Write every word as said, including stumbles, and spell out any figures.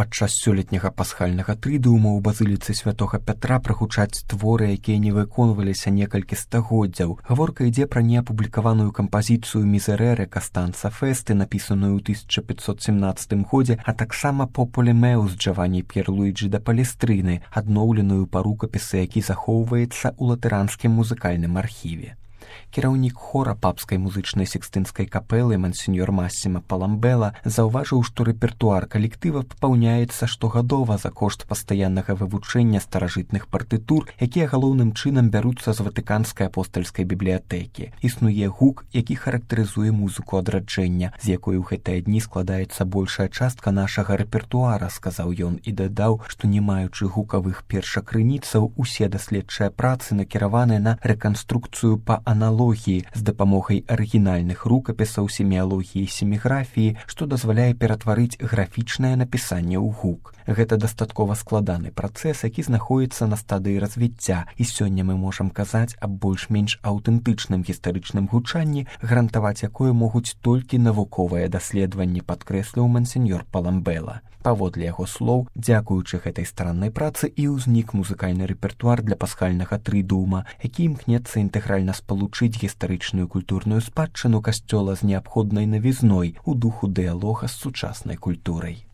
Падчас сёлетняга пасхальнага трыдыума ў базыліцы святога Пятра прагучаць творы, якія не выконваліся некалькі стагоддзяў. Гаворка ідзе пра неапублікаваную кампазіцыю «Мізерерэ» Кастанца Фесты, напісаную ў тысяча пятьсот семнадцатым годзе, а таксама «Пополе Меус» Джаванні П'ерлуіджі да Палестрыны, адноўленую па рукапісы, які захоўваецца ў латэранскім музыкальным архіве. Кіраўнік хора папскай музычнай секстынскай капэлы мансеньор Массіма Паламбела заўважыў, што рэпертуар калектыва папаўняецца штогадова за кошт пастаяннага вывучэння старажытных партытур, якія галоўным чынам бяруцца з ватыканскай апостальскай бібліятэкі. Існуе гук, які характарызуе музыку адраджэння, з якой у гэтыя дні складаецца большая частка нашага рэпертуара, сказаў ён і дадаў, што не маючы гукавых першакрыніцаў, усе даследчыя працы накіраваныя на рэканструкцыю па аналогіі з дапамогай арыгінальных рукапісаў семіялогіі і семіграфіі, што дазваляе ператварыць графічнае напісанне ў гук. Гэта дастаткова складаны працэс, які знаходіцца на стадыі развіцця, і сёння мы можам казаць аб больш-менш аўтэнтычным гістарычным гучанні, гарантаваць якое могуць толькі навуковыя даследаванні, падкрэсліў мансеньор Паламбела. Паводле яго слоў, дзякуючы гэтай стараннай працы і ўзнік музыкальны рэпертуар для пасхальнага трыдыума, які імкнецца інтэгральна спалучыць гістарычную культурную спадчыну касцёла з неабходнай навізной у духу дыялога з сучаснай культурай.